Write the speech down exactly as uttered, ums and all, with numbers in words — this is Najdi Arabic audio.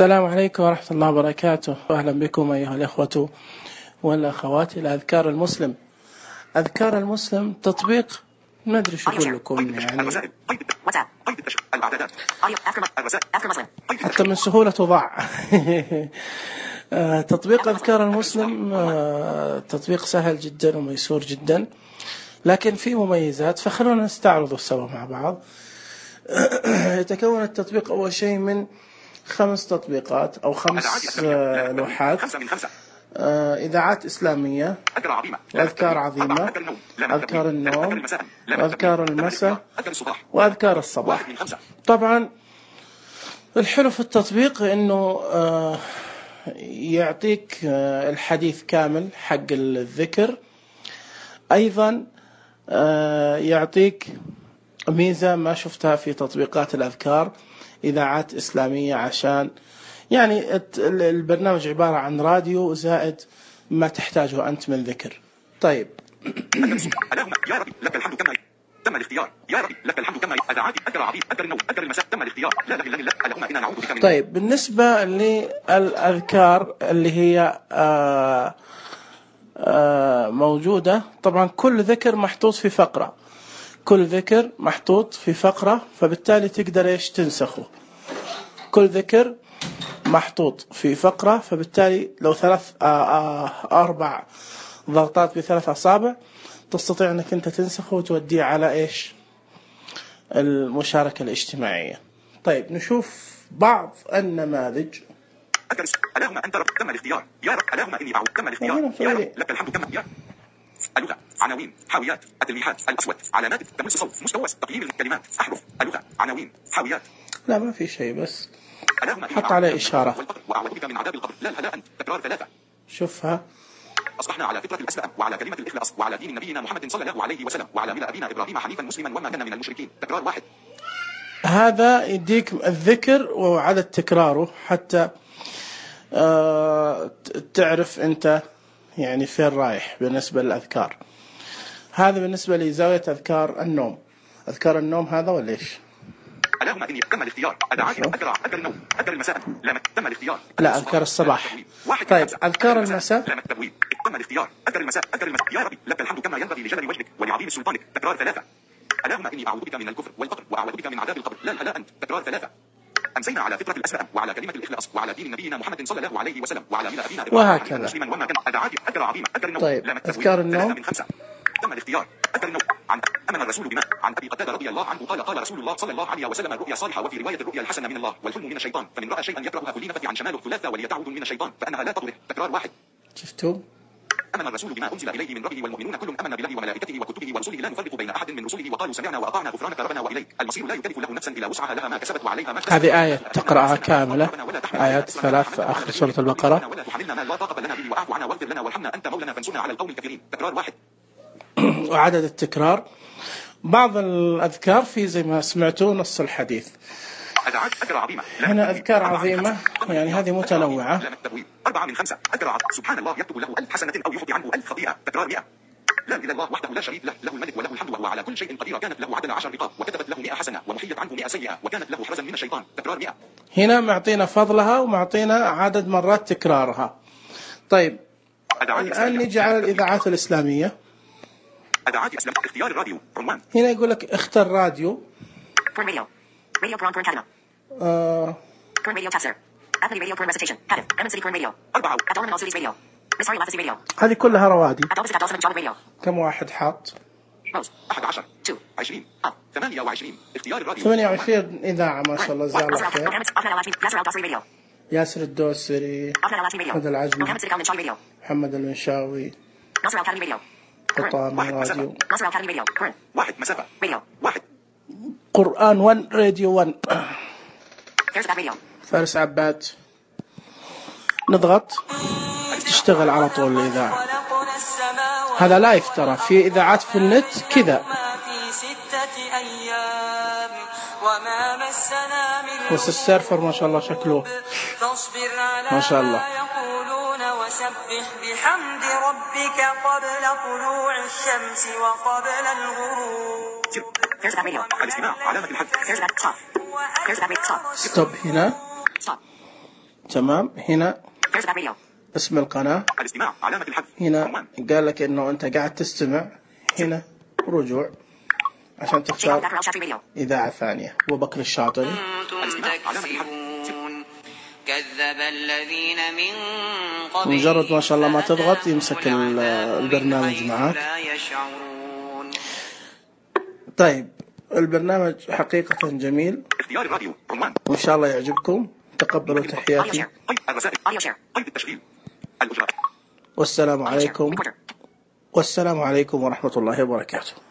السلام عليكم ورحمة الله وبركاته، أهلا بكم أيها الأخوة والأخوات إلى أذكار المسلم. أذكار المسلم تطبيق ما أدري شو أقول لكم، يعني حتى من سهولة ضاع. تطبيق أذكار المسلم تطبيق سهل جدا وميسور جدا، لكن فيه مميزات، فخلونا نستعرضه سوا مع بعض. يتكون التطبيق أول شيء من خمس تطبيقات أو خمس لوحات: إذاعات إسلامية، وأذكار عظيمة، أذكار النوم، وأذكار المساء، وأذكار الصباح. طبعا الحلو في التطبيق إنه يعطيك الحديث كامل حق الذكر، أيضا يعطيك ميزة ما شفتها في تطبيقات الأذكار، إذاعات إسلامية، عشان يعني البرنامج عبارة عن راديو زائد ما تحتاجه أنت من ذكر. طيب اللهم يا ربي لك الحمد كما تم الاختيار، يا ربي لك الحمد كما أذاعات أذكر عظيم أذكر النوم أذكر المساء تم الاختيار، لا إله إلا الله اللهم إنا نعوذ بك من. طيب بالنسبة للأذكار اللي هي آآ آآ موجودة، طبعا كل ذكر محطوط في فقرة، كل ذكر محطوط في فقرة، فبالتالي تقدر إيش تنسخه. كل ذكر محطوط في فقرة، فبالتالي لو ثلاث أربع ضغطات بثلاث أصابع تستطيع أنك أنت تنسخه وتوديه على إيش المشاركة الاجتماعية. طيب نشوف بعض النماذج. اللهم أنت رب تم الاختيار، يا رب اللهم إني أعوذ تم الاختيار، يا رب لك الحمد كما يا اللغة، عناوين، حاويات، التلميحات، الأسود، علامات، تمس صوت، مستوى، تقييم الكلمات، أحرف، اللغة، عناوين، حاويات. لا ما في شيء، بس حط عليه إشارة. وأعوذ بك من عذاب القبر، لا لا أنت تكرار ثلاثة. شوفها. أصبحنا على فطرة الإسلام وعلى كلمة الإخلاص وعلى دين نبينا محمد صلى الله عليه وسلم وعلى ملة أبينا إبراهيم حنيفا مسلما وما كان من المشركين، تكرار واحد. هذا يديك الذكر وعدد تكراره حتى آه تعرف أنت يعني فين رايح بالنسبة للأذكار. هذا بالنسبة لزاوية أذكار النوم. أذكار النوم هذا ولا إيش؟ اللهم إني تم الاختيار، أدعاك أذكر أذكر النوم أذكر المساء، لم تم الاختيار. لا أذكار الصباح. طيب أذكار المساء لم التبويب تم الاختيار، أذكر المساء أذكر المساء، يا ربي لك الحمد كما ينبغي لجلال وجهك ولعظيم سلطانك، تكرار ثلاثة. اللهم إني أعوذ بك من الكفر والفقر وأعوذ بك من عذاب القبر، لا لا أنت تكرار ثلاثة. أمسينا على فطرة الأسلام وعلى كلمة الإخلاص وعلى دين نبينا محمد صلى الله عليه وسلم وعلى ملة أبينا وهكذا. مسلما وما كان أدعاك أذكر عظيم أذكر النوم. طيب أذكار النوم من خمسة تم الاختيار، أذكر النوم. عن أمن الرسول بما عن أبي قتادة رضي الله عنه قال قال رسول الله صلى الله عليه وسلم: الرؤيا صالحة، وفي رواية الرؤيا الحسنة من الله والحلم من الشيطان، فمن رأى شيئا يكرهها فلينفث عن شماله ثلاثة وليتعوذ من الشيطان فأنها لا تضره، تكرار واحد. شفتوا؟ آمن الرسول بما أنزل إليه من ربه والمؤمنون كل آمن بالله وملائكته وكتبه ورسله لا نفرق بين أحد من رسله وقالوا سمعنا وأطعنا غفرانك ربنا وإليك المصير، لا يكلف له نفسا إلا وسعها لها ما كسبت وعليها ما اكتسبت. هذه آية تقرأها كاملة، آيات ثلاث في آخر سورة البقرة. ولا تحملنا ما لا طاقة لنا به واعف عنا واغفر لنا وارحمنا أنت مولانا فانصرنا على القوم الكافرين، تكرار واحد. وعدد التكرار بعض الأذكار في زي ما سمعتوا نص الحديث. هنا أذكار عظيمة، يعني هذه متنوعة. أربعة من خمسة. أذكر سبحان الله يكتب له ألف حسنة أو يخطي عنه ألف خطيئة، تكرار مئة. لا إله إلا الله وحده لا شريك له، له الملك وله الحمد وهو على كل شيء قدير، كانت له عدل عشر رقاب وكتبت له مئة حسنة ومحيت عنه مئة سيئة وكانت له حرزا من الشيطان، تكرار مئة. هنا معطينا فضلها ومعطينا عدد مرات تكرارها. طيب الآن نجي على الإذاعات الإسلامية. أذاعات إسلام اختيار الراديو عنوان. هنا يقول لك اختر راديو. Porn radio. Radio Porn Porn Canada. آه. Porn Radio Tafsir. Apple Radio Porn Recitation. Cardiff. Emin City Porn Radio. أربعة. Adolman All Cities Radio. Miss Harry Lafazi Radio. هذه كلها روادي. Adolphus Adolphus John Radio. كم واحد حاط؟ موز. أحد عشر. two. عشرين. أب. ثمانية وعشرين. اختيار الراديو. ثمانية وعشرين إذاعة ما شاء الله جزاه الله خير. ياسر الدوسري. محمد العجمي. محمد المنشاوي. قطامي راديو. واحد مسافة. واحد. قرآن ون راديو ون. فارس عباد. نضغط تشتغل على طول الإذاعة. هذا لايف ترى، في إذاعات في النت كذا. بس السيرفر ما شاء الله شكله ما شاء الله. وسبح بحمد ربك قبل طلوع الشمس وقبل الغروب. الاستماع علامة الحد. ستوب هنا. تمام. هنا There's about radio. اسم القناة. الاستماع علامة الحذف. هنا عنوان. قال لك إنه أنت قاعد تستمع. هنا رجوع عشان Channel تختار Dr. Al Shatri Radio. إذاعة ثانية. وبكر الشاطري. كنتم تكسبون كذب الذين من قبلهم مجرد ما شاء الله ما تضغط يمسك فأتاهم العذاب البرنامج من معك. حيث لا يشعرون. طيب البرنامج حقيقة جميل اختيار الراديو. عنوان. وإن شاء الله يعجبكم. تقبلوا تحياتي. قيد الرسائل. Audio share. قيد التشغيل. الأجراء. والسلام Audio share. عليكم Recorder. والسلام عليكم ورحمة الله وبركاته.